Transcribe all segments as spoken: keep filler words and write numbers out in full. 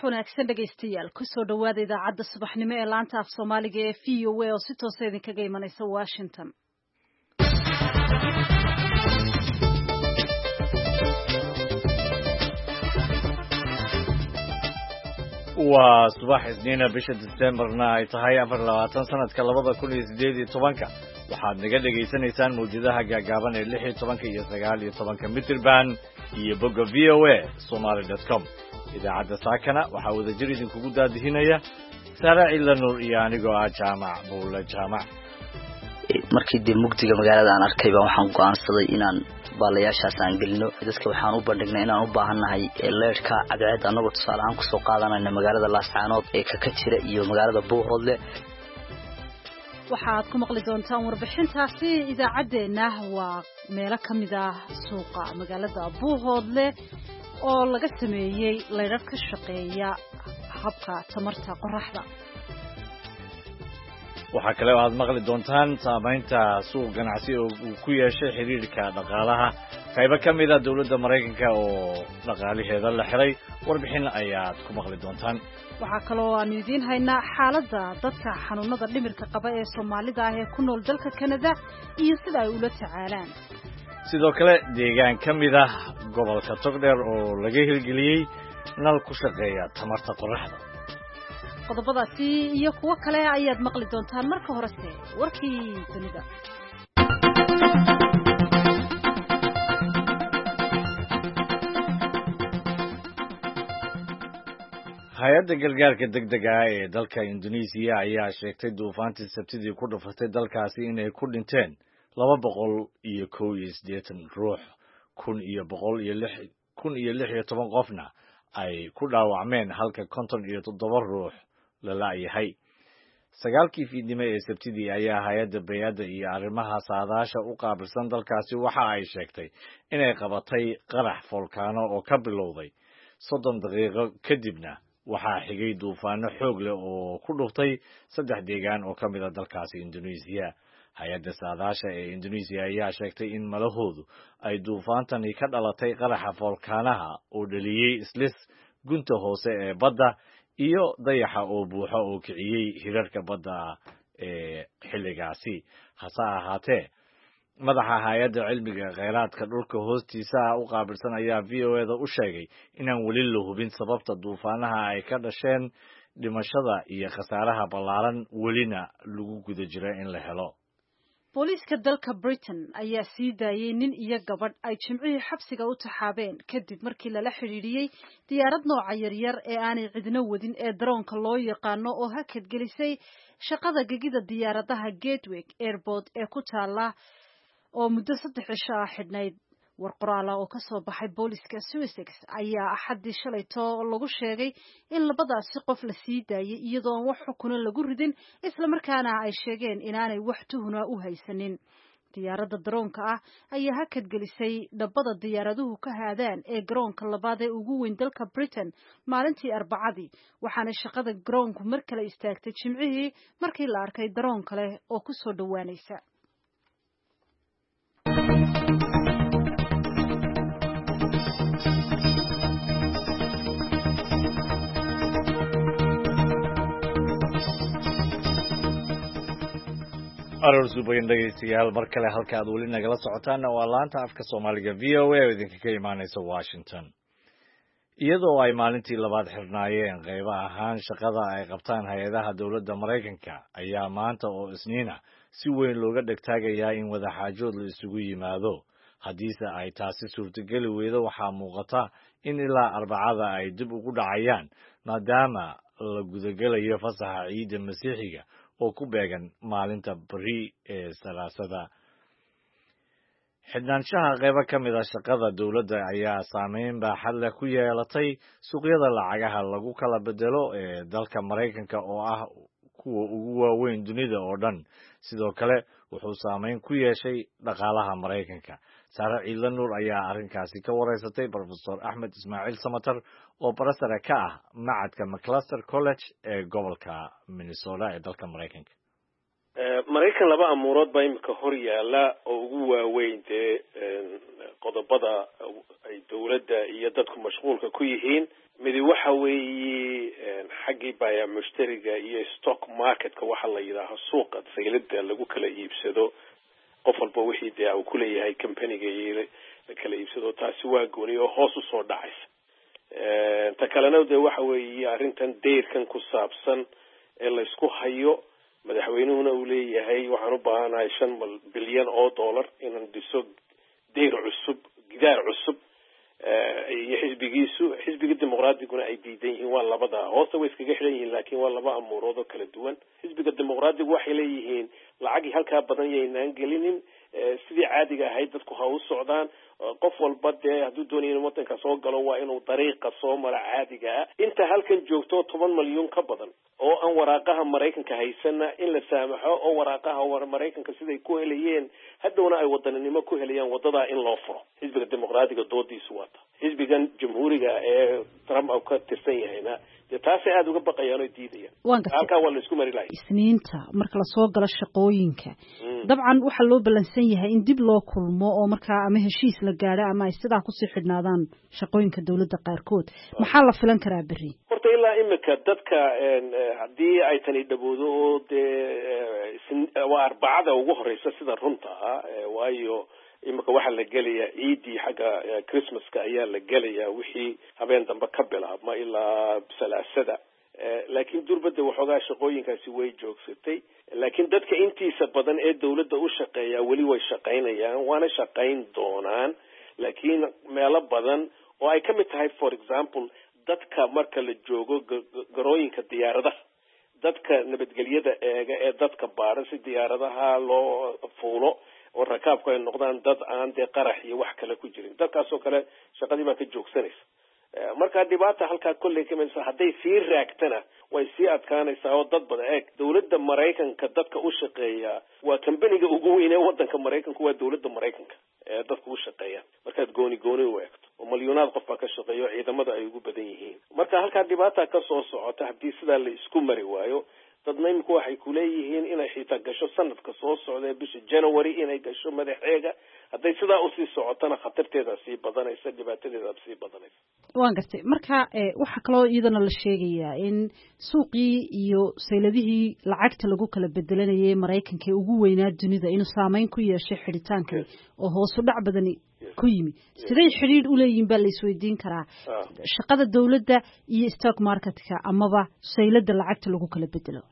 Wanaagsan dhegaystayaal, kusoo dhawaada idaacadda subaxnimo ee laanta af Soomaaliga ee V O A oo si toosa idinkaga imanaysa Washington. Waa subax Isniina, bisha Disembarna ay tahay afar labaatan sanadka labada kun iyo sideed iyo tobanka. Waxaad naga dhegaysanaysaan mawjadaha gaagaaban ee lix iyo tobanka iyo sagaal iyo tobanka mitirban iyo bogga V O A Somaly dot com. Idaacadda saakana waxaa wadajir idinkugu daadihinaya Saare Ciila Nuur iyo anigoo ah Jaamac Buule Jaamac. Markii dee mugdiga magaalada aan arkay baa waxaan go'aansaday inaan baalayaashaas aan gelino. Dadka waxaan u bandhignay inaan u baahannahay leerhka cadceed, annagoo tusaale ahaan kusoo qaadanayna magaalada Laascaanood ee kaka jira iyo magaalada Buuhoodle. Waxaad ku maqli doontaan warbixintaasi idaacaddeenna waa meelo ka mid ah suuqa magaalada Buuhoodle oo laga sameeyey leydhar ka shaqeeya habka tamarta qoraxda. Waxaa kale oo aad maqli doontaan saamaynta suuq ganacsi oo uu ku yeeshay xiriirka dhaqaalaha qaybo ka mid a dowladda Maraykanka oo dhaqaalaheeda la xiray. Warbixin ayaad ku maqli doontaan. Waxaa kaloo aanu idiin haynaa xaaladda dadka xanuunada dhimirka qaba ee Soomaalida ah ee ku nool dalka Kanada iyo sida ay ula tacaalaan. Sidoo kale deegaan ka mid ah gobolka Togdheer oo laga hirgeliyey nal ku shaqeeya tamarta qoraxda. Qodobadaasi iyo kuwo kale ayaad maqli doontaan, marka horese warkii dunida. Hay-adda gargaarka degdega ah ee dalka Indonesiya ayaa sheegtay duufaantii Sabtidii ku dhufatay dalkaasi inay ku dhinteen laba boqol iyo kow iyo siddeetan ruux, kun iyo boqol iyo lix kun iyo lix iyo toban qofna ay ku dhaawacmeen, halka konton iyo toddoba ruux la la'yahay. Sagaalkii fiidnimo ee Sabtidii ayaa hay-adda bay-adda iyo arrimaha saadaasha u qaabilsan dalkaasi waxa ay sheegtay inay qabatay qarax foolkaano oo ka bilowday soddon daqiiqo kadibna waxaa xigay duufaano xoog leh oo ku dhuftay saddex deegaan oo ka mid a dalkaasi Indonesiya. Hay-adda saadaasha ee Indonesiya ayaa sheegtay in malahoodu ay duufaantani ka dhalatay qaraxa foolkaanaha oo dhaliyey islis gunta hoose ee badda iyo dayaxa oo buuxa oo kiciyey hirarka badda ee xilligaasi. Hase ahaatee, madaxa hay-adda cilmiga kheyraadka dhulka hoostiisa ah u qaabilsan ayaa V O A-da u sheegay inaan weli la hubin sababta duufaanaha ay ka dhasheen dhimashada iyo khasaaraha ballaaran, welina lagu guda jira in la helo. Booliiska dalka Britain ayaa sii daayey nin iyo gabadh ay Jimcihii xabsiga u taxaabeen kadib markii lala xidhiidhiyey diyaarad nooca yaryar ee aanay cidno wadin ee daroonka loo yaqaano oo hakad gelisay shaqada gegida diyaaradaha Gatwick Airport ee ku taala oo muddo saddex cisho ah xidhnayd. War qoraala oo kasoo baxay booliiska Sussex ayaa Axaddii shalayto lagu sheegay in labadaasi qof la sii daayey iyadoo aan wax xukuna lagu ridin, islamarkaana ay sheegeen inaanay wax tuhuna u haysanin. Diyaaradda daroonka ah ayaa hakad gelisay dhabbada diyaaraduhu ka haadaan ee garoonka labaad ee ugu weyn dalka Britain maalintii Arbacadii, waxaana shaqada garoonku mar kale istaagtay Jimcihii markii la arkay daroon kale oo kusoo dhowaanaysa. Aroor suubayan dhegaystayaal, mar kale halka aad weli nagala socotaanna waa laanta afka Soomaaliga V O A oo idinkaga imaanaysa Washington. Iyadoo ay maalintii labaad xirnaayeen qaybo ahaan shaqada ay qabtaan hay-adaha dowladda Maraykanka ayaa maanta oo Isniina si weyn looga dhegtaagayaa in wadaxaajood la isugu yimaado. Haddiise ay taasi suurtogeli weydo, waxaa muuqata in ilaa Arbacada ay dib ugu dhacayaan, maadaama la gudagelayo fasaxa ciidda Masiixiga oo ku beegan maalinta beri ee Salaasada. Xidhnaanshaha qaybo ka mid a shaqada dowladda ayaa saameyn baaxad leh ku yeelatay suuqyada lacagaha lagu kala bedelo ee dalka Maraykanka oo ah kuwa ugu waaweyn dunida oo dhan. Sidoo kale wuxuu saameyn ku yeeshay dhaqaalaha Maraykanka. Saare Ciidla Nuur ayaa arrinkaasi ka wareysatay Profesor Axmed Ismaaciil Samatar oo barasare ka ah macadka Maclaster College ee gobolka Minnesota ee dalka Maraykanka. Maraykan laba amuurood baa imika hor yaala oo ugu waaweyn dee qodobada ay dowladda iyo dadku mashquulka ku yihiin. Midi waxa weeye xaggii baya mushtariga iyo stock marketka, waxa la yidhaaho suuqa saylada lagu kala iibsado, qof walba wixii dee uu kuleeyahay companyga iyo la kala iibsado, taasi waa gooni oo hoos usoo dhacaysa. Ta kalena dee waxa weeye arrintan dayrkan ku saabsan ee laysku hayo, madaxweynuhuna uu leeyahay waxaan u baahanahay shan bilyan oo dollar inaan dhiso dayr cusub, gidaar cusub, iyo xisbigiisu, xisbiga dimuqraadiguna ay diidan yihiin. Waa labada hoosta way iskaga xidhan yihiin, laakiin waa laba amuurood oo kala duwan. Xisbiga dimuqraadigu waxay leeyihiin lacagii halkaa badan yaynaan gelinin, sidii caadiga ahayd dadku ha u socdaan, qof walba dee hadduu doonayo inuu wadanka soo galo waa inuu dariiqa soo mara caadiga ah. Inta halkan joogto toban malyuun ka badan oo aan waraaqaha Maraykanka haysana in la saamaxo, oo waraaqaha Maraykanka siday ku helayeen hadhowna ay wadaninimo ku helayaan wadadaa in loo furo. Xisbiga dimuqraadiga doodiisu waata. Xisbigan jamhuuriga ee Trump uu ka tirsan yahayna dee taasay aada uga baqayaan oo diidayaan. Halkaa waa la isku mari lahay. Isniinta marka lasoo galo shaqooyinka, dabcan waxaa loo ballansan yahay in dib loo kulmo oo markaa ama heshiis la gaadho ama ay sidaa kusii xidhnaadaan shaqooyinka dowladda qaarkood. Maxaa la filan karaa berri? Horta ilaa imika dadka haddii ay tani dhaboodo oo dee waa arbacada ugu horeysa sida runta ah, waayo imika waxaa la gelayaa ciidii xagga Christmaska ayaa la gelayaa, wixii habeen dambe ka bilaabma ilaa salaasada. Laakiin durbadda waxoogaa shaqooyinkaasi way joogsatay, laakiin dadka intiisa badan ee dowladda u shaqeeyaa weli way shaqaynayaan, waana shaqayn doonaan. Laakiin meelo badan oo ay ka mid tahay, for example, dadka marka la joogo garooyinka diyaaradaha, dadka nabadgelyada eega ee dadka baara si diyaaradaha loo fuulo oo rakaabku ay noqdaan dad aan dee qarax iyo wax kale ku jirin, dadkaasoo kale shaqadii baa ka joogsanaysa. Marka dhibaata halkaa kolley ka imanaysa, hadday sii raagtana way sii adkaanaysaa oo dad badan eeg dowladda Maraykanka dadka u shaqeeya waa kambaniga ugu weyn ee wadanka Maraykanku, waa dowladda Maraykanka ee dadka u shaqeeya markaad gooni gooni u eegto, oo malyuunaad qof baa ka shaqeeya oo ciidamada ay ugu badan yihiin. Marka halkaa dhibaata ka soo socota haddii sidaa la isku mari waayo. Dadna imika waxay kuleeyihiin inay xitaa gasho sanadka soo socda ee bisha January inay gasho madaxeega. Hadday sidaa usii socotona khatarteeda sii badanaysa, dhibaatadeeda sii badanaysa. Waan gartay. Marka waxaa kaloo iyadana la sheegayaa in suuqii iyo sayladihii lacagta lagu kala bedelanayay Maraykanka ee ugu weynaa dunida inuu saameyn ku yeeshay xidhitaanka oo hoosu dhac badani ku yimi. Siday xidhiidh u leeyihiin baa la isweydiin karaa shaqada dowladda iyo stock marketka amaba saylada lacagta lagu kala bedelo?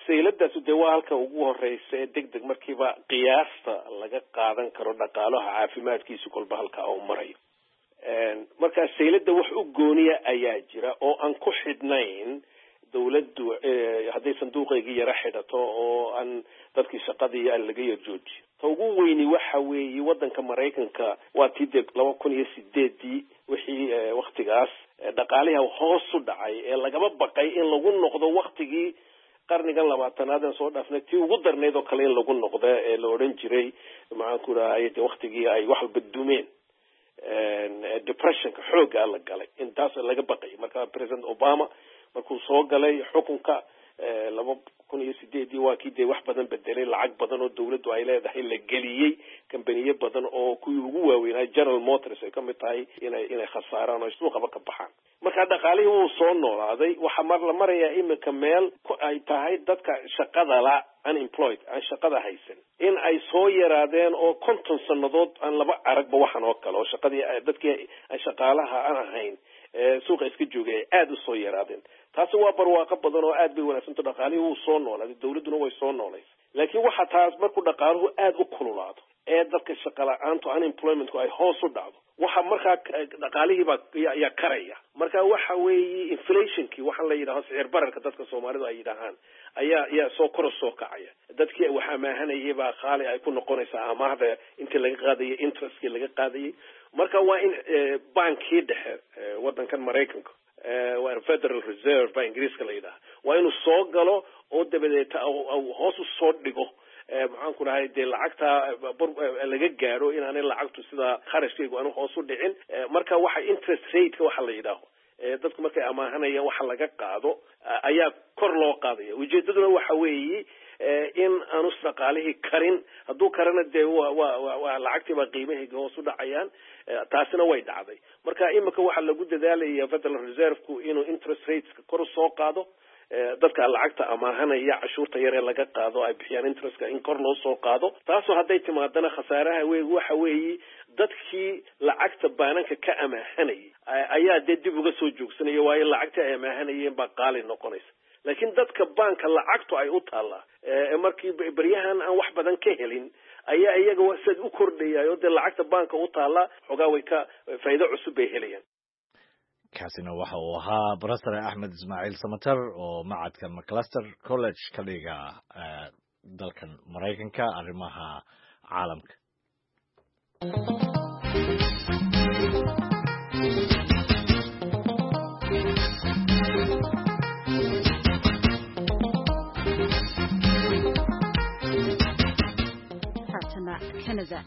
Sayladaas dee waa halka ugu horeysa ee deg deg markiiba qiyaasta laga qaadan karo dhaqaalaha caafimaadkiisu kolba halkaa uu marayo. Marka saylada wax u gooniya ayaa jira oo aan ku xidhnayn dowladdu hadday sanduuqaygii yara xidhato oo aan dadkii shaqadii aan laga yar joojiyo. Ta ugu weyni waxa weeye waddanka Maraykanka waa tii dee laba kun iyo sideedii wixii waktigaas dhaqaaliha hoos u dhacay ee lagaba baqay in lagu noqdo waktigii qarnigan labaatanaad aan soo dhaafnay tii ugu darnayd oo kale in lagu noqdo ee la odhan jiray maxaan ku rahay dee waktigii ay wax walba dumeen, depressionka xooggaa la galay, intaas laga baqay. Marka President Obama markuu soo galay xukunka laba kun iyo sideedii waa kii dee wax badan bedelay, lacag badan oo dowladdu ay leedahay la geliyey kambaniyo badan oo kuwii ugu waaweynaa General Motors ay ka mid tahay inay inay khasaaraan oo suuqaba ka baxaan. Marka dhaqaalihii wuu soo noolaaday. Waxaa mar la marayaa imika meel ay tahay dadka shaqada la unemployed aan shaqada haysan in ay soo yaraadeen oo konton sannadood aan laba aragba waxan oo kale oo shaqadii dadkii aan shaqaalaha aan ahayn suuqa iska joogay ay aada usoo yaraadeen. Taasi waa barwaaqo badan oo aad bay wanaagsanto, dhaqaalihii wuu soo noolaaday, dowladduna way soo noolaysa. Laakiin waxa taas markuu dhaqaaluhu aada u kululaado ee dadka shaqa la-aantu unemploymentku ay hoos u dhacdo, waxa markaa dhaqaalihii baa yaa karaya. Marka waxa weeye inflationkii waxaa la yidhaho sicir bararka dadka Soomaalidu ay yidhaahaan ayaa ayaa soo kor soo kacaya. Dadkii wax amaahanayay baa qaali ay ku noqonaysaa amaahda intii laga qaadayay, interestkii laga qaadayay. Marka waa in bankii dhexe waddankan Maraykanka, waa Federal Reserve baa Ingiriiska la yidhaha, waa inuu soo galo oo dabadeeta hoos u soo dhigo maxaan ku dhahay dee lacagta laga gaadho inaanay lacagtu sidaa kharashkaygu aanu hoos u dhicin. Marka waxa interest rateka waxa la yidhaaho dadku markay amaahanayaan waxa laga qaado ayaa kor loo qaadaya. Ujeedaduna waxa weeye in aanu dhaqaalihii karin. Hadduu karana dee wa wa wa lacagtii baa qiimahayga hoos u dhacayaan, taasina way dhacday. Marka imika waxaa lagu dadaalaya Federal Reserve-ku inuu interest rateska kor usoo qaado, dadka lacagta amaahanaya cashuurta yar ee laga qaado ay bixiyaan interestka in kor loo soo qaado. Taasoo hadday timaadana khasaaraha wey waxa weeyi dadkii lacagta baananka ka amaahanayay ayaa dee dib uga soo joogsanaya, waayo lacagtii ay amaahanayeen baa qaali noqonaysa. Laakiin dadka baanka lacagtu ay u taallaa markii beryahan aan wax badan ka helin ayaa iyaga sad u kordhayayo dee lacagta baanka u taallaa xoogaa way ka faa'iido cusub bay helayaan. Kaasina waxa uu ahaa Professor Axmed Ismaaciil Samatar oo macadka Macalester College ka dhiga dalkan Maraykanka arrimaha caalamka. Haatana Canada.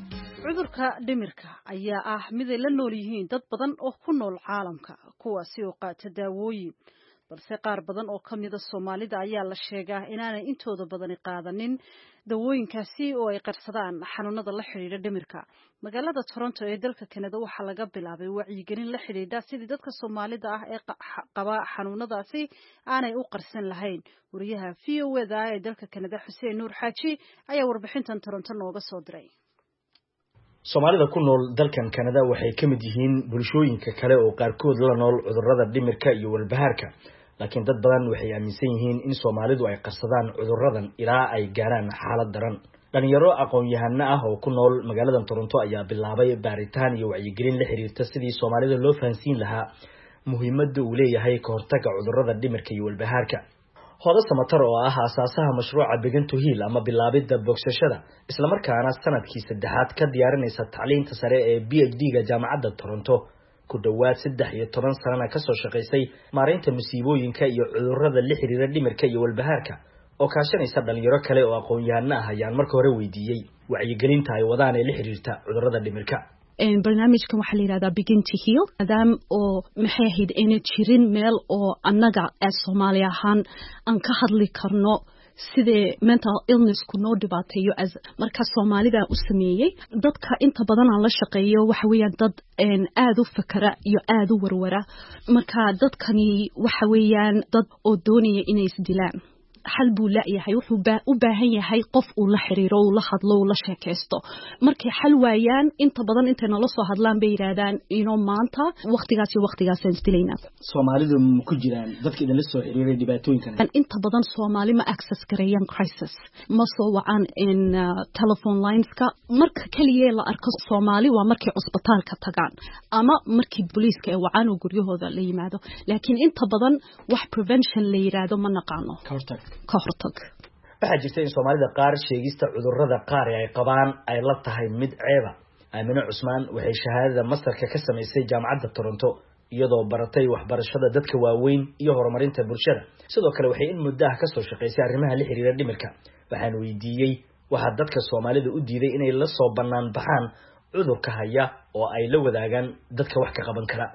Cudurka dhimirka ayaa ah mid ay la nool yihiin dad badan oo ku nool caalamka, kuwaasi oo qaata daawooyin, balse qaar badan oo ka mida Soomaalida ayaa la sheegaa inaanay intooda badani qaadanin dawooyinkaasi oo ay qarsadaan xanuunada la xidhiidha dhimirka. Magaalada Toronto ee dalka Canada waxaa laga bilaabay wacyigelin la xidhiidha sidii dadka Soomaalida ah ee qaba xanuunadaasi aanay u qarsan lahayn. Wariyaha V O A da ee dalka Canada Xuseen Nuur Xaaji ayaa warbixintan Toronto nooga soo diray. Soomaalida ku nool dalkan Canada waxay ka mid yihiin bulshooyinka kale oo qaarkood la nool cudurrada dhimirka iyo walbahaarka, laakiin dad badan waxay aaminsan yihiin in Soomaalidu ay qarsadaan cudurradan ilaa ay gaaraan xaalad daran. Dhalinyaro aqoon-yahano ah oo ku nool magaalada Toronto ayaa bilaabay baaritaan iyo wacyigelin la xiriirta sidii Soomaalida loo fahansiin lahaa muhiimadda uu leeyahay ka hortagga cudurrada dhimirka iyo walbahaarka. Hoodo Samatar oo ah aasaasaha mashruuca Begin to Heal ama bilaabidda bogsashada, isla markaana sanadkii saddexaad ka diyaarinaysa tacliinta sare ee P H D-ga jaamacadda Toronto, ku dhowaad saddex iyo toban sanana kasoo shaqaysay maareynta musiibooyinka iyo cudurrada la xiriira dhimirka iyo walbahaarka, oo kaashanaysa dhalinyaro kale oo aqoon-yahano ah, ayaan marka hore weydiiyey wacyigelinta ay wadaan ee la xiriirta cudurrada dhimirka. Barnaamijkan waxaa la yidhahdaa Begin to Heal, maadaam oo maxay ahayd ayna jirin meel oo annaga ee Soomaali ahaan aan ka hadli karno sidee mental illnessku noo dhibaateeyo. Marka Soomaalida u sameeyey dadka inta badan aan la shaqeeyo waxa weeyaan dad aad u fakara iyo aad u warwara. Marka dadkani waxa weeyaan dad oo doonaya inay isdilaan, xal buu la'yahay, wuxuu u baahan yahay qof uu la xiriiro, uu la hadlo, uu la sheekaysto. Markay xal waayaan inta badan intay nala soo hadlaan bay yidhaahdaan inoo maanta waqtigaas iyo waqtigaasaan isdilaynaa. Soomaalidu ma ku jiraan dadka idinla soo xiriiray dhibaatooyinkan? Inta badan Soomaali ma access gareeyaan crisis, ma soo wacaan in telephone lineska. Marka keliya la arko Soomaali waa markay cusbitaalka tagaan ama markii booliiska ay wacaan oo guryahooda la yimaado, laakiin inta badan wax prevention la yidhaahdo ma naqaano. Ka hortag. Ka hortag. Waxaa jirta in Soomaalida qaar sheegista cudurrada qaar ee ay qabaan ay la tahay mid ceeba. Aamine Cusmaan waxay shahaadada mastarka ka samaysay jaamacadda Toronto, iyadoo baratay waxbarashada dadka waaweyn iyo horumarinta bulshada. Sidoo kale waxay in muddo ah kasoo shaqaysay arrimaha la xiriira dhimirka. Waxaan weydiiyey waxaa dadka Soomaalida u diiday inay la soo bannaan baxaan cudurka haya oo ay la wadaagaan dadka wax ka qaban kara.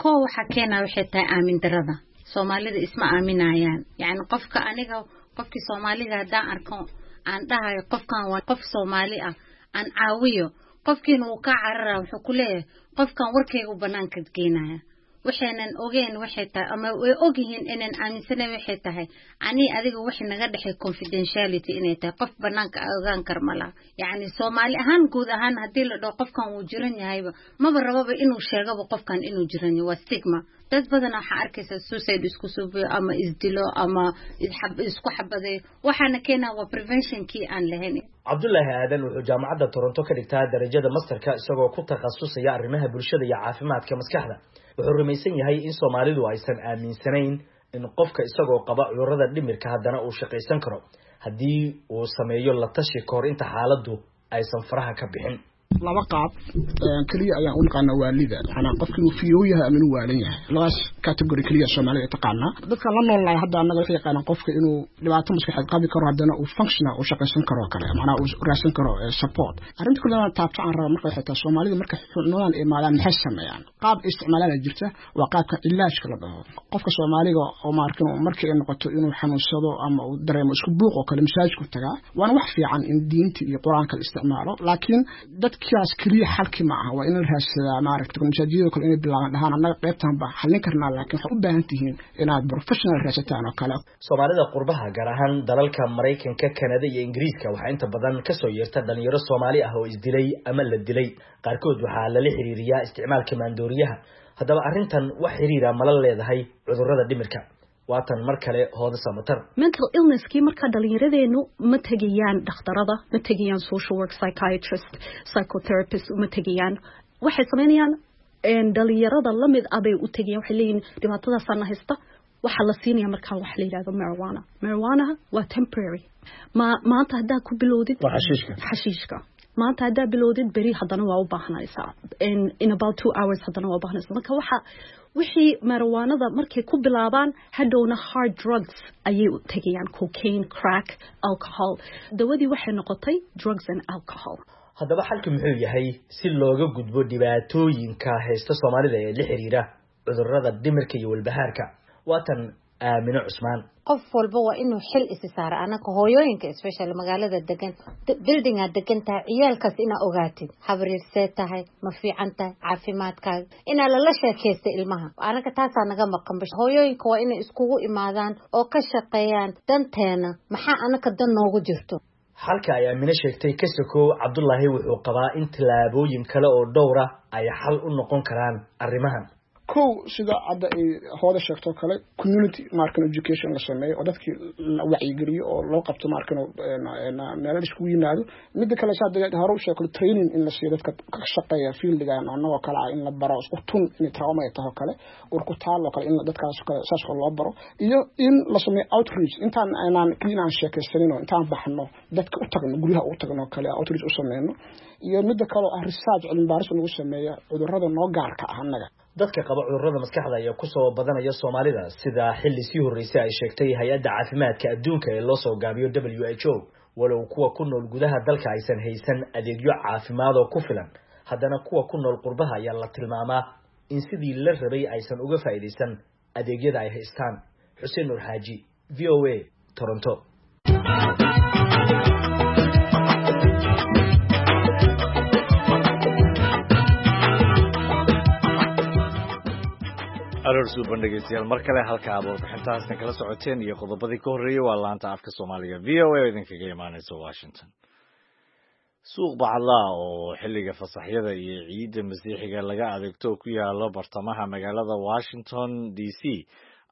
Koo waxaa keenaa waxay tahay aamin darrada. Soomaalida isma aaminayaan. Yacni qofka aniga qofkii Soomaaliga haddaan arko aan dhahayo qofkan waa qof Soomaali ah aan caawiyo, qofkiina wuu kaa carara, wuxuu ku leeyahay qofkan warkaygu banaanka geenaya. Waxaynan ogeen waxay tahay ama way ogyihiin inaan aaminsanayn waxay tahay ani adiga waxay naga dhexay confidentiality inay tahay qof banaanka ogaan kar ma laha. Yacni Soomaali ahaan guud ahaan haddii la dhaho qofkan wuu jiran yahayba maba rababa inuu sheegaba qofkan inuu jiran yahay, waa stigma. Dad badan waxaa arkaysa suicide isku suubiyo ama isdilo ama isku xabadeeyo, waxaana keenaa waa preventionkii aan lahayn. Cabdullaahi Aadan wuxuu jaamacadda Toronto ka dhigtaa darajada masterka, isagoo ku takhasusaya arrimaha bulshada iyo caafimaadka maskaxda. Wuxuu rumaysan yahay in Soomaalidu aysan aaminsanayn in qofka isagoo qaba cudurrada dhimirka haddana uu shaqaysan karo haddii uu sameeyo la tashi kahor inta xaaladdu aysan faraha ka bixin. Laba qaab keliya ayaan u naqaanaa waalida, macnaa qofka inuu fiyow yahay ama inuu waalan yahay. Labadaas category keliya Soomaalida taqaanaa. Dadka la nool lahay hadda annaga waxay yaqaanaan qofka inuu dhibaato maskaxeed qabi karo, haddana uu functional uu shaqaysan karo kale, macnaa uu raadsan karo support. Arrinta kulli aan taabto aan raba marka waxay tahay, Soomaalida marka xanuunadan imaadaan maxay sameeyaan? Qaab isticmaalaan jirta, waa qaabka cilaajka la dhaho. Qofka Soomaaliga oo maarkin markii ay noqoto inuu xanuunsado ama uu dareemo isku buuq oo kale, masaajidku tagaa. Waana wax fiican in diinta iyo Qur-aanka la isticmaalo, laakiin dadkaas keliya xalki ma aha. Waa in la raadsadaa maaragta masaajidada kale inay bilaabaan dhahaan annaga qaybtan baa xallin karnaa, laakiin waxaad u baahan tihiin inaad professional raadsataan oo kale. Soomaalida qurbaha, gaar ahaan dalalka Maraykanka, Kanada iyo Ingiriiska, waxaa inta badan kasoo yeerta dhalinyaro Soomaali ah oo isdilay ama la dilay. Qaarkood waxaa lala xiriiriyaa isticmaalka maandooriyaha. Haddaba arrintan wax xiriira mala leedahay cudurrada dhimirka? Waatan mar kale Hooda Samatar. Mental illnesskii markaa dhalinyaradeennu ma tegayaan dhakhtarada, ma tegayaan social work, psychiatrist, psychotherapist uma tegayaan. Waxay samaynayaan, dhalinyarada lamid ah bay u tegayaan. Waxay leeyihin dhibaatadaasaana haysta. Waxaa la siinaya markaa waxa la yidhahdo marijuana. Marijuanaha waa temporary. Ma maanta haddaa ku bilowdid waa xashiishka. Xashiishka maanta haddaa bilowdid, beri haddana waa u baahanaysaa, in, in about two hours haddana waa u baahanaysaa. Marka waxa wixii marijuanada markay ku bilaabaan, hadhowna hard drugs ayay u tegayaan, cocaine, crack, alcohol. Dawadii waxay noqotay drugs and alcohol. Haddaba xalku muxuu yahay si looga gudbo dhibaatooyinka haysta Soomaalida ee la xiriira cudurrada dhimirka iyo walbahaarka? Waatan Aamino Cusmaan. Qof walba waa inuu xil isi saaro. Anaka hooyooyinka, especially magaalada degan, buildingaa degan tahay, ciyaalkaas inaa ogaatid habriirsee tahay, ma fiican tahay caafimaadkaaga, inaa lala sheekaysta ilmaha. Anaka taasaa naga maqan. Hooyooyinka waa inay iskugu imaadaan oo ka shaqeeyaan danteena, maxaa anaka dan noogu jirto. Xalka ay Aamine sheegtay ka sokow, Cabdullaahi wuxuu qabaa in tallaabooyin kale oo dhowra ay xal u noqon karaan arrimahan. Kow, sida hadda ay Hooda sheegtoo kale, community markan education la sameeyo oo dadkii la wacyigeliyo oo loo qabto markan meelo la iskugu yimaado. Midda kale, sa hadda hore u sheegto, training in la siiyo dadka ka shaqeeya fieldigan annagoo kale ah, in la baro isku tun inay trauma ay taho kale, urkutaal oo kale, in dadkaas kale saas oo loo baro, iyo in la sameeyo outreach. Intaan aynaan keliya inaan sheekaysanin oo intaan baxno dadka u tagno, guryaha u tagno kale, outreach u sameyno. Iyo midda kale oo ah research, cilmi baaris lagu sameeyo cudurrada noo gaarka ah annaga. Dadka qaba cudurrada maskaxda ayaa kusoo badanaya Soomaalida, sida xilli sii horreysay ay sheegtay Hay-adda Caafimaadka Adduunka ee loo soo gaabiyo W H O. Walow kuwa ku nool gudaha dalka aysan haysan adeegyo caafimaad oo ku filan, haddana kuwa ku nool qurbaha ayaa la tilmaamaa in sidii la rabay aysan uga faa'iidaysan adeegyada ay haystaan. Xuseen Nuur Xaaji, V O A, Toronto. Aroor suuban dhegeystayaal mar kale. Halka aad warbixintaasna kala socoteen iyo qodobadii ka horreeyey waa laanta afka Soomaaliga V O A oo idinkaga imaaneysa Washington. Suuq bacadlaha oo xilliga fasaxyada iyo ciidda Masiixiga laga adeegto ku yaalo bartamaha magaalada Washington D C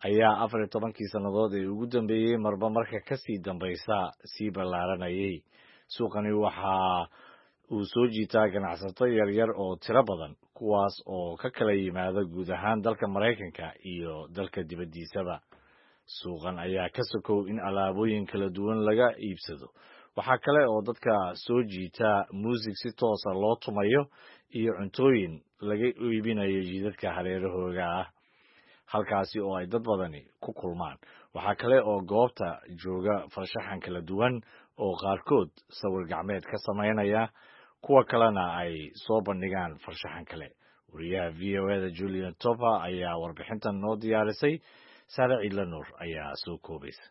ayaa afar iyo tobankii sannadood ee ugu dambeeyey marba marka kasii dambaysa sii ballaaranayay. Suuqani waxa uu soo jiitaa ganacsato yaryar oo tiro badan, kuwaas oo ka kala yimaada guud ahaan dalka Maraykanka iyo dalka dibaddiisaba. Suuqan ayaa ka sokow in alaabooyin kala duwan laga iibsado, waxaa kale oo dadka soo jiita muusig si toosa loo tumayo iyo cuntooyin laga iibinayo jidadka hareerahooga ah, halkaasi oo ay dad badani ku kulmaan. Waxaa kale oo goobta jooga farshaxan kala duwan oo qaarkood sawir gacmeed ka samaynaya, kuwa kalena ay soo bandhigaan farshaxan kale. Wariyaha V O A da Julian Topa ayaa warbixintan noo diyaarisay. Saare Ciidla Nuur ayaa soo koobaysa.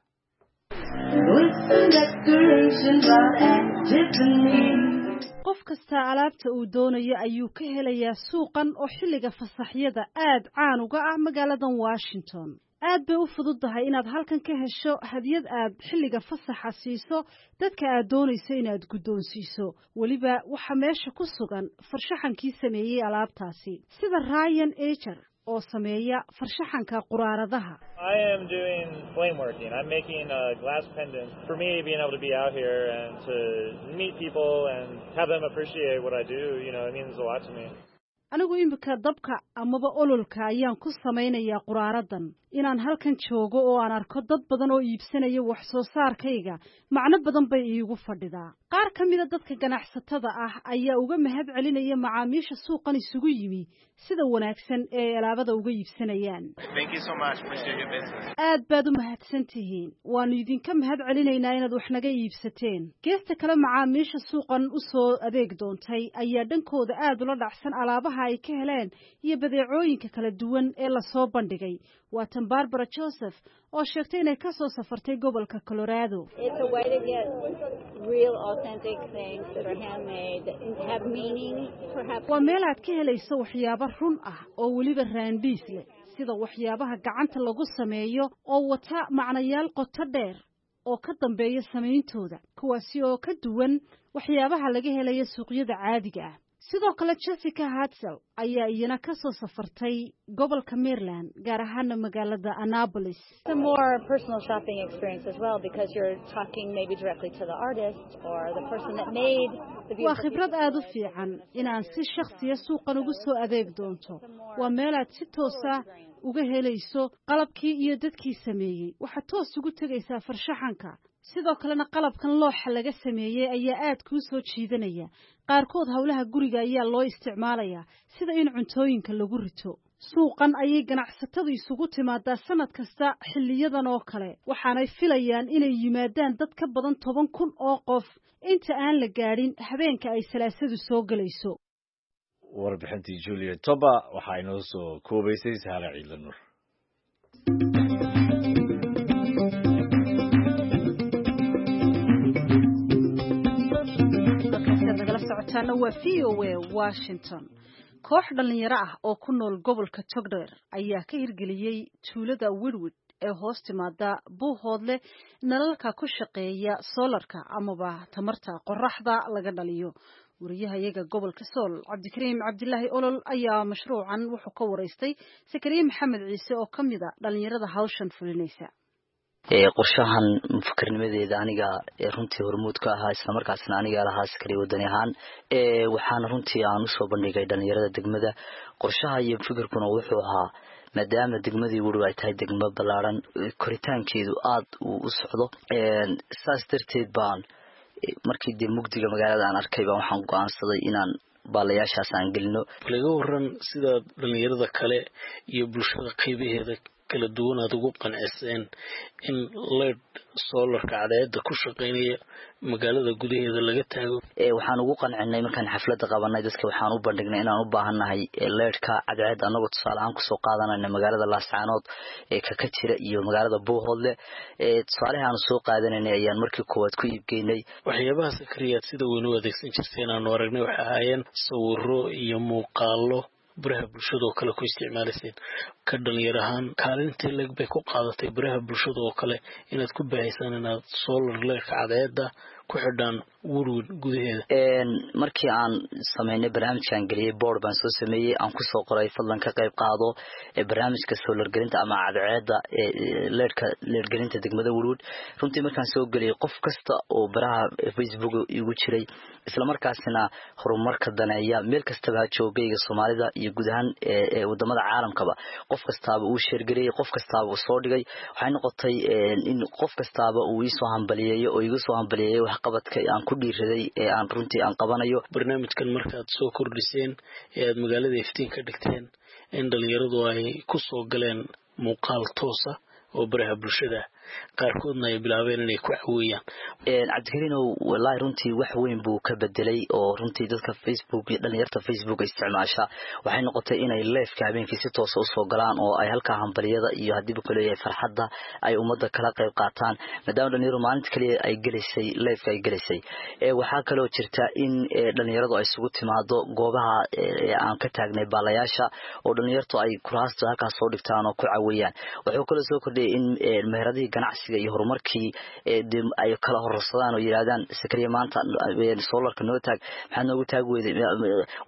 Qof kasta alaabta uu doonayo ayuu ka helayaa suuqan oo xilliga fasaxyada aad caan uga ah magaaladan Washington. Aad bay u fududahay inaad halkan ka hesho hadiyad aad xilliga fasaxa siiso dadka aad doonayso inaad guddoonsiiso. Weliba waxaa meesha ku sugan farshaxankii sameeyey alaabtaasi, sida Ryan Ager oo sameeya farshaxanka quraaradaha. I am doing flame working. I'm making a glass pendant. For me, being able to be out here and to meet people and have them appreciate what I do, you know, it means a lot to me. Anigu iminka dabka amaba ololka ayaan ku samaynayaa quraaradan. Inaan halkan joogo oo aan arko dad badan oo iibsanaya wax soo saarkayga macno badan bay iigu fadhidaa. Qaar ka mida dadka ganacsatada ah ayaa uga mahad celinaya macaamiisha suuqan isugu yimi sida wanaagsan ee ay alaabada uga iibsanayaan. Aad baad u mahadsan tihiin, waanu idinka mahad celinaynaa inaad wax naga iibsateen. Geesta kale, macaamiisha suuqan u soo adeeg doontay ayaa dhankooda aad ula dhacsan alaabaha ay ka heleen iyo badeecooyinka kala duwan ee lasoo bandhigay. Waa tan Barbara Joseph oo sheegtay inay ka soo safartay gobolka Colorado. Waa meel aad ka helayso waxyaabo run ah oo weliba raandhiis leh, sida waxyaabaha gacanta lagu sameeyo oo wata macnayaal qoto dheer oo ka dambeeya samayntooda, kuwaasi oo ka duwan waxyaabaha laga helayo suuqyada caadiga ah. Sidoo kale Jessica Hartsel ayaa iyana ka soo safartay gobolka Maryland, gaar ahaana magaalada Annapolis. Waa khibrad aad u fiican inaan si shakhsiya suuqan ugu soo adeeg doonto. Waa meel aad si toosa uga helayso qalabkii iyo dadkii sameeyey. Waxaad toos ugu tegaysaa farshaxanka. Sidoo kalena qalabkan looxa laga sameeyey ayaa aad kuu soo jiidanaya. Qaarkood howlaha guriga ayaa loo isticmaalayaa, sida in cuntooyinka lagu rito. Suuqan ayay ganacsatadu isugu timaadaa sanad kasta xilliyadan oo kale, waxaanay filayaan inay yimaadaan dad ka badan toban kun oo qof inta aan la gaadhin habeenka ay salaasadu soo gelayso. Warbixintii Julia Toba waxaa inoo soo koobaysay Sahra Ciidla Nuur. Nagala socotaana waa V O A Washington. Koox dhalinyaro ah oo ku nool gobolka Togdheer ayaa ka hirgeliyey tuulada Wirwid ee hoos timaada Buuhoodle nalalka ku shaqeeya soolarka amaba tamarta qoraxda laga dhaliyo. Wariyahayaga gobolka Sool Cabdikariim Cabdilaahi Olol ayaa mashruucan wuxuu ka waraystay Sakariye Maxamed Ciise oo ka mid a dhalinyarada hawshan fulinaysa. Qorshahan mufakarnimadeeda aniga runtii hormuud ka ahaa, isla markaasna aniga lahaa Sakariye wadani ahaan. Waxaana runtii aan usoo bandhigay dhalinyarada degmada. Qorshaha iyo fikirkuna wuxuu ahaa, maadaama degmadii Wirwid ay tahay degmo ballaaran, koritaankeedu aad uu u socdo, saas darteed baan markii dee mugdiga magaalada aan arkay baan waxaan go'aansaday inaan baalayaashaas aan gelino. Laga waran sidaad dhalinyarada kale iyo bulshada qaybaheeda kala duwan aad ugu qanciseen in leyd soolarka cadceedda ku shaqeynaya magaalada gudaheeda laga taago? Waxaan ugu qancinay markaan xafladda qabanay dadka, waxaan u bandhignay inaan u baahannahay leydhka cadceedda, annagoo tusaale ahaan kusoo qaadanayna magaalada Laascaanood ee kaka jira iyo magaalada Buuhoodle. Tusaalaha aanu soo qaadanaynay ayaan markii koowaad ku iibgeynay. Waxyaabaha Sakariyaad sida weyn u adeegsan jirteen aanu aragnay waxay ahaayeen sawiro iyo muuqaalo baraha bulshada oo kale ku isticmaalayseen. Ka dhalinyar ahaan kaalintii leg bay ku qaadatay baraha bulshada oo kale inaad ku baahaysaan inaad solar leerka cadceedda ku xidhaan Wirwid gudaheeda? Markii aan sameynay barnaamijkaan geliyey, board baan soo sameeyey aan kusoo qoray fadlan ka qayb qaado barnaamijka solar gelinta ama cadceedda leerka leergelinta degmada Wirwid. Runtii markaan soo geliyey, qof kasta oo baraha Facebook igu jiray, isla markaasina horumarka daneeya, meel kastaba ha joogayga Soomaalida iyo guud ahaan wadamada caalamkaba, qof kastaaba uu sheergareeyey, qof kastaaba uu soo dhigay. Waxay noqotay in qof kastaaba uu iisoo hambaliyeeyo oo igu soo hambaliyeeyo waxqabadka aan ku dhiiraday ee aan runtii aan qabanayo. Barnaamijkan markaad soo kordhiseen ee aad magaalada iftiin ka dhigteen, in dhalinyaradu ay ku soo galeen muuqaal toosa oo baraha bulshada, qaarkoodna ay bilaabeen inay ku caweeyaan. Cabdikariinow, wallaahi runtii wax weyn buu ka bedelay oo runtii dadka Facebook iyo dhalinyarta Facebook isticmaasha waxay noqotay inay leefka habeenkii si toosa usoo galaan oo ay halkaa hambaliyada iyo haddiiba kuleeyahay farxadda ay ummadda kala qayb qaataan, maadaama dhalinyaradu maalinta kaliya ay gelaysay leefka ay gelaysay. Waxaa kaloo jirta in dhalinyaradu ay isugu timaado goobaha aan ka taagnay baalayaasha oo dhalinyartu ay kuraasta halkaas soo dhigtaan oo ku caweeyaan. Wuxuu kaloo soo kordhiyay in meheradihii ganacsiga iyo horumarkii ay kala hororsadaan oo yidhaahdaan Sakariye maanta soolarka noo taag, maxaad noogu taag weyday,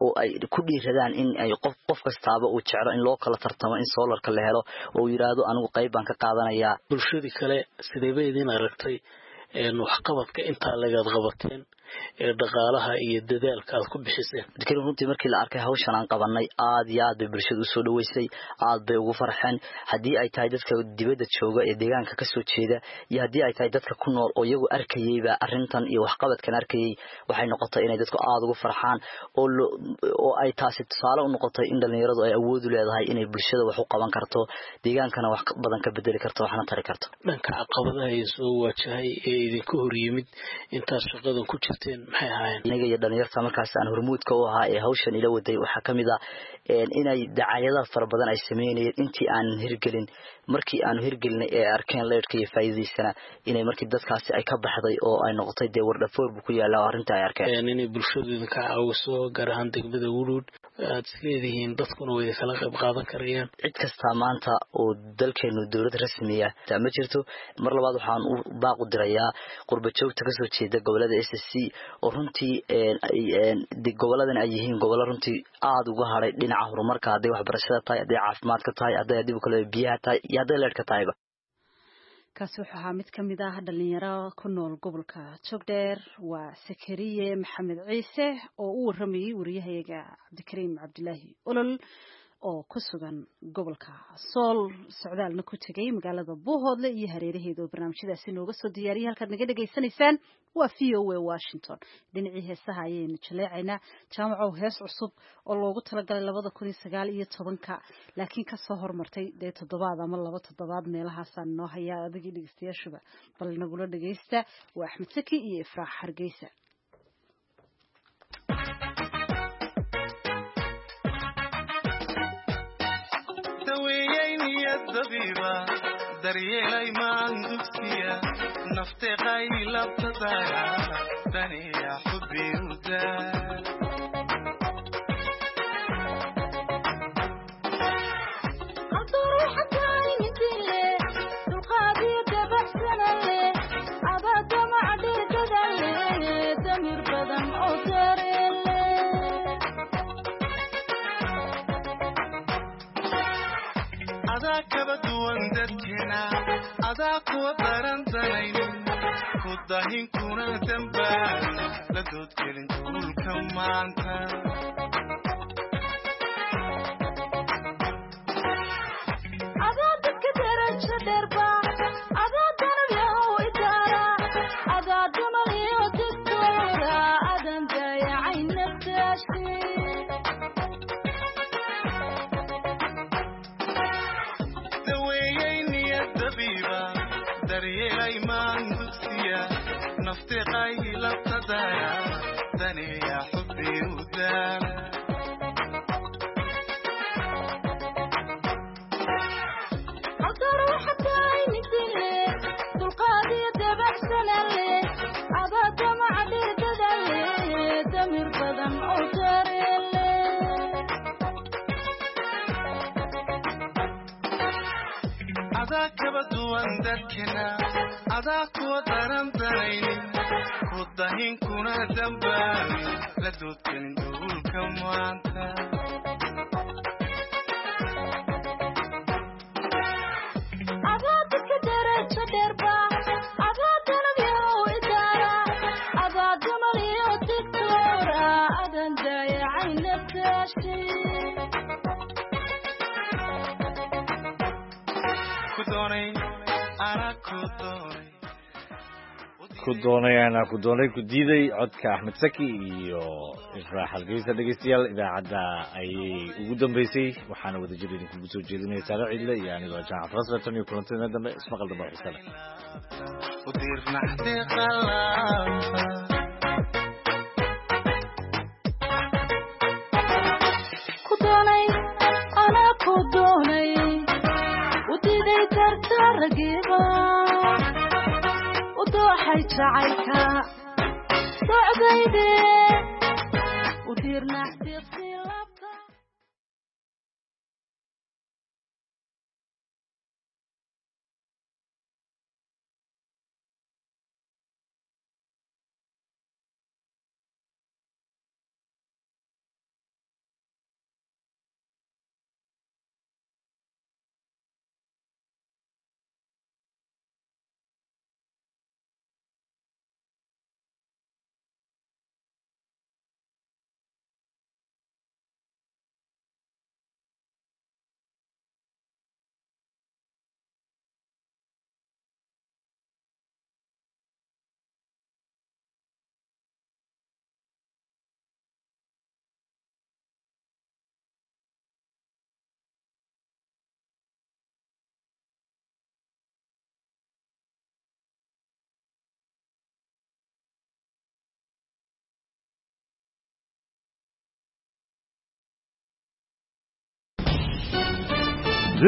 oo ay ku dhiiradaan in ay qof qof kastaaba uu jeclo in loo kala tartamo in soolarka la helo oo yidhaahdo anigu qayb baan ka qaadanayaa. Bulshadii kale sidee bay idin aragtay waxqabadka intaa lagaad qabateen ee dhaqaalaha iyo dadaalka aad ku bixiseen. Cabdikariim, runtii markii la arkay hawshan aan qabanay, aad iyo aad bay bulshada usoo dhaweysay, aad bay ugu farxeen, haddii ay tahay dadka dibadda jooga ee deegaanka kasoo jeeda iyo haddii ay tahay dadka ku nool oo iyagu arkayeyba arrintan iyo waxqabadkan arkayey. Waxay noqotay inay dadku aada ugu farxaan oo oo ay taasi tusaale u noqotay in dhalinyaradu ay awood u leedahay inay bulshada wax u qaban karto, deegaankana wax badan ka bedeli karto, waxna tari karto. Dhanka caqabadaha ee soo waajahay ee idinka hor yimid intaad shaqadan ku jirteen maxay ahaayeen? Aniga iyo dhalinyarta markaas aan hormuudka u ahaa ee hawshan ila waday waxaa ka mid ah inay dacaayadaha fara badan ay sameynayeen intii aanan hirgelin. Markii aanu hirgelinay ee arkeen leyrhka iyo faa'iidadiisana, inay markii dadkaasi ay ka baxday oo ay noqotay dee wardhafoor buu ku yaallaa oo arrinta ay arkeen. Inay bulshadu idinka caawiso, gaar ahaan degmada Wudhuud, aad isleedihiin dadkuna way idinkala qayb qaadan karayaan? Cid kastaa maanta oo dalkeenu dowlad rasmiya ma jirto. Mar labaad waxaan u baaq u dirayaa qurba joogta kasoo jeeda gobolada S S C, oo runtii goboladan ay yihiin gobollo runtii aada uga hadhay dhinaca horumarka, hadday waxbarashada tahay, hadday caafimaadka tahay, hadday dib kale biyaha tahay iyo hadday leerhka tahayba. Kaasi wuxuu ahaa mid ka mid ah dhalinyaro ku nool gobolka Jogdheer, waa Sakariye Maxamed Ciise oo u waramayey wariyahayaga Cabdikariim Cabdilaahi Olol oo ku sugan gobolka Sool, socdaalna ku tegay magaalada Buuhoodle iyo hareeraheeda oo barnaamijyadaasi nooga soo diyaariyay. Halkaad naga dhegaysanaysaan waa V O A Washington. Dhinacii heesaha ayaynu jaleecaynaa. Jaamacow, hees cusub oo loogu talagalay labada kun iyo sagaal iyo tobanka laakiin kasoo hormartay dee toddobaad ama laba toddobaad meelahaasaan noo hayaa, adigii dhegeystayaashuba bal nagula dhegeysta. Waa Axmed Saki iyo Ifraax Hargeysa. Dabiiba daryeelay maan dugsiya nafteeqay labtadaya daniya xubbi uda. Adaa kaba duwan dadkeena, adaa kuwa darantanay ku dahin kuna dambaan la doodgelin duulka maanta. Adaa dadka darajo dheerba, adaa darabyahow idaara, adaa damal iyo digtoora, adan dayacay naftaasi. Daweeyey niyad dabiiba daryeelay maan dugsiya nafteeqay labtadaya daniya xubbi u daala. Haldoor waxa tahay midile dulqaad iyo dabacsana leh, adaa damaca dhirdada leh, damir badan oo dareen leh. Adaa kaba duwan dadkeena, adaa kuwa darantanaynin ku dahin kuna dambaan la doodgelin duulka maanta. Adaa dadka darajo dheerba, adaa dalabyahow idaara, adaa damal iyo digtoora, adan dayacay naftaasi. Ku doonay anaa ku doonay. Ku doonay anaa ku doonay ku diiday, codka Axmed Saki iyo Ifraax Hargeysa. Dhegeystayaal, idaacadda ayay ugu dambeysay, waxaana wadajir idinkugu soo jeedinaya Saare Ciidle iyo anigoo Jaamac Farasle. Tan iyo kulantina dambe, ismaqal dambe oo xiise leh. U diirnaxdii qalaabta. Ku doonay anaa ku doonay u diiday dartaragiiba u dooxay jacaylka socdayde u diirnaxdiiqsi.